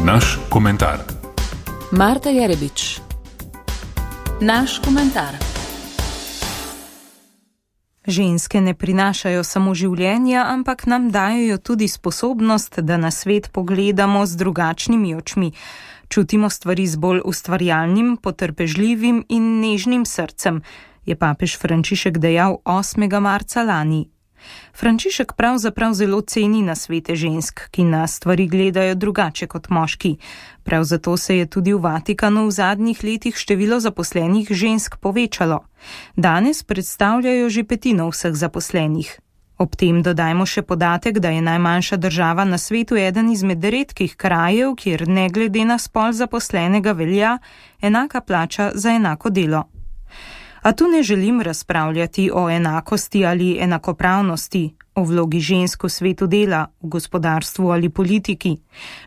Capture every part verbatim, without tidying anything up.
Naš komentar. Marta Jerebič. Naš komentar. Ženske ne prinašajo samo življenja, ampak nam dajo tudi sposobnost, da na svet pogledamo z drugačnimi očmi. Čutimo stvari z bolj ustvarjalnim, potrpežljivim in nežnim srcem, je papež Frančišek dejal osmega marca lani. Frančišek pravzaprav zelo ceni nasvete žensk, ki na stvari gledajo drugače kot moški. Prav zato se je tudi v Vatikanu v zadnjih letih število zaposlenih žensk povečalo. Danes predstavljajo že petino vseh zaposlenih. Ob tem dodajmo še podatek, da je najmanjša država na svetu eden izmed redkih krajev, kjer ne glede na spol zaposlenega velja enaka plača za enako delo. A tu ne želim razpravljati o enakosti ali enakopravnosti, o vlogi žensk v svetu dela, v gospodarstvu ali politiki.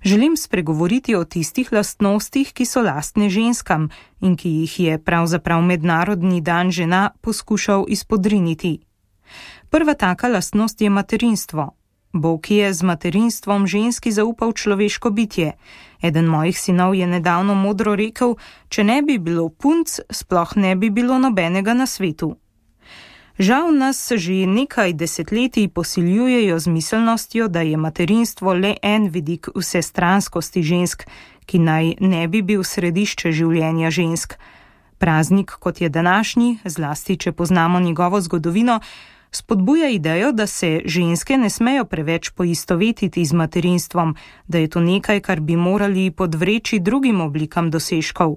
Želim spregovoriti o tistih lastnostih, ki so lastne ženskam in ki jih je pravzaprav Mednarodni dan žena poskušal izpodriniti. Prva taka lastnost je materinstvo. Bog je z materinstvom ženski zaupal človeško bitje. Eden mojih sinov je nedavno modro rekel, če ne bi bilo punc, sploh ne bi bilo nobenega na svetu. Žal nas že nekaj desetletij posiljujejo z miselnostjo, da je materinstvo le en vidik vsestranskosti žensk, ki naj ne bi bil središče življenja žensk. Praznik, kot je današnji, zlasti če poznamo njegovo zgodovino, spodbuja idejo, da se ženske ne smejo preveč poistovetiti z materinstvom, da je to nekaj, kar bi morali podvreči drugim oblikam dosežkov.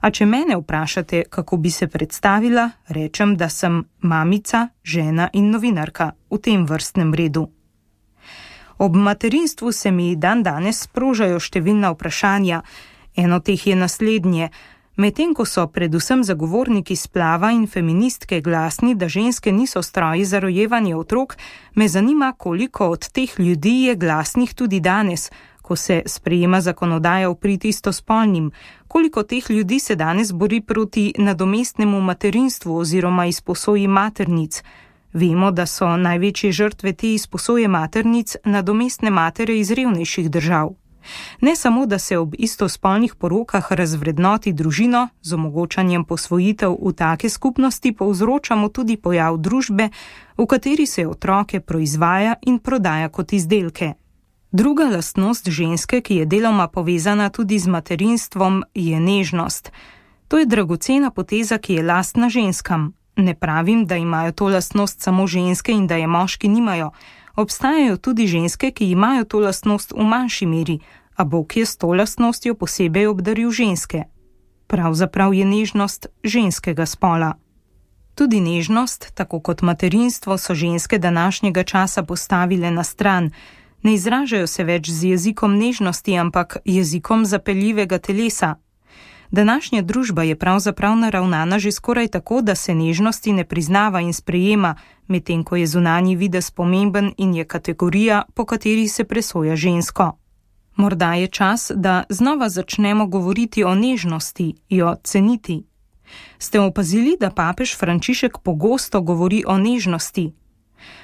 A če mene vprašate, kako bi se predstavila, rečem, da sem mamica, žena in novinarka v tem vrstnem redu. Ob materinstvu se mi dan danes sprožajo številna vprašanja. Eno teh je naslednje. Medtem ko so predvsem zagovorniki splava in feministke glasni, da ženske niso stroji za rojevanje otrok, me zanima, koliko od teh ljudi je glasnih tudi danes, ko se sprejema zakonodaja v prid istospolnim, koliko teh ljudi se danes bori proti nadomestnemu materinstvu oziroma izposoji maternic. Vemo, da so največje žrtve te izposoje maternic nadomestne matere iz revnejših držav. Ne samo, da se ob istospolnih porokah razvrednoti družino, z omogočanjem posvojitev v take skupnosti povzročamo tudi pojav družbe, v kateri se otroke proizvaja in prodaja kot izdelke. Druga lastnost ženske, ki je deloma povezana tudi z materinstvom, je nežnost. To je dragocena poteza, ki je lastna ženskam. Ne pravim, da imajo to lastnost samo ženske in da je moški nimajo. Obstajajo tudi ženske, ki imajo to lastnost v manjši meri, a Bog je s to lastnostjo posebej obdaril ženske. Pravzaprav je nežnost ženskega spola. Tudi nežnost, tako kot materinstvo, so ženske današnjega časa postavile na stran. Ne izražajo se več z jezikom nežnosti, ampak jezikom zapeljivega telesa. Današnja družba je pravzaprav naravnana že skoraj tako, da se nežnosti ne priznava in sprejema, medtem ko je zunanji videz pomemben in je kategorija, po kateri se presoja žensko. Morda je čas, da znova začnemo govoriti o nežnosti, jo ceniti. Ste opazili, da papež Frančišek pogosto govori o nežnosti?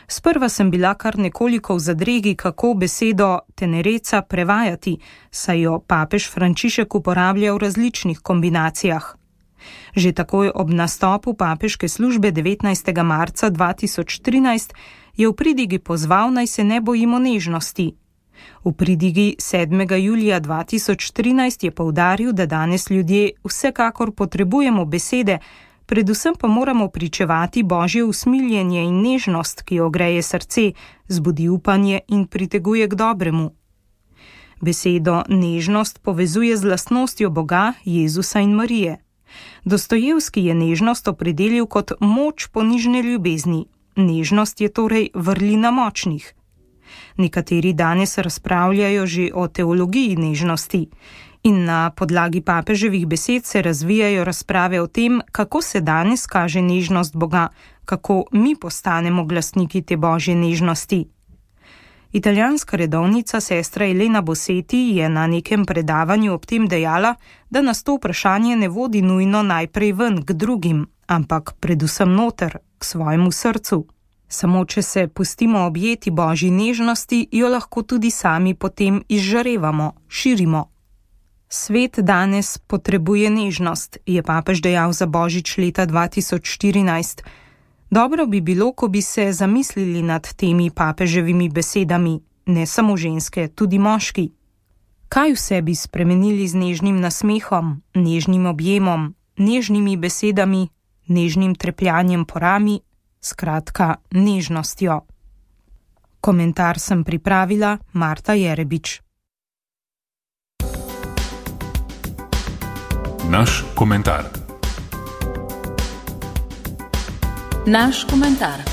Sprva sem bila kar nekoliko v zadregi, kako besedo tenereca prevajati, saj jo papež Frančišek uporablja v različnih kombinacijah. Že takoj ob nastopu papeške službe devetnajstega marca dva tisoč trinajst je v pridigi pozval, naj se ne bojimo nežnosti. V pridigi sedmega julija dva tisoč trinajst je poudaril, da danes ljudje vsekakor potrebujemo besede, predvsem pa moramo pričevati Božje usmiljenje in nežnost, ki ogreje srce, zbudi upanje in priteguje k dobremu. Besedo nežnost povezuje z lastnostjo Boga, Jezusa in Marije. Dostojevski je nežnost opredelil kot moč ponižne ljubezni. Nežnost je torej vrlina močnih. Nekateri danes razpravljajo že o teologiji nežnosti. In na podlagi papeževih besed se razvijajo razprave o tem, kako se danes kaže nežnost Boga, kako mi postanemo glasniki te Božje nežnosti. Italijanska redovnica sestra Elena Boseti je na nekem predavanju ob tem dejala, da nas to vprašanje ne vodi nujno najprej ven k drugim, ampak predvsem noter, k svojemu srcu. Samo če se pustimo objeti Božji nežnosti, jo lahko tudi sami potem izžarevamo, širimo. Svet danes potrebuje nežnost, je papež dejal za božič leta dva tisoč štirinajst. Dobro bi bilo, ko bi se zamislili nad temi papeževimi besedami, ne samo ženske, tudi moški. Kaj vse bi spremenili z nežnim nasmehom, nežnim objemom, nežnimi besedami, nežnim trepljanjem po rami, skratka nežnostjo. Komentar sem pripravila Marta Jerebič. Naš komentar. Naš komentar.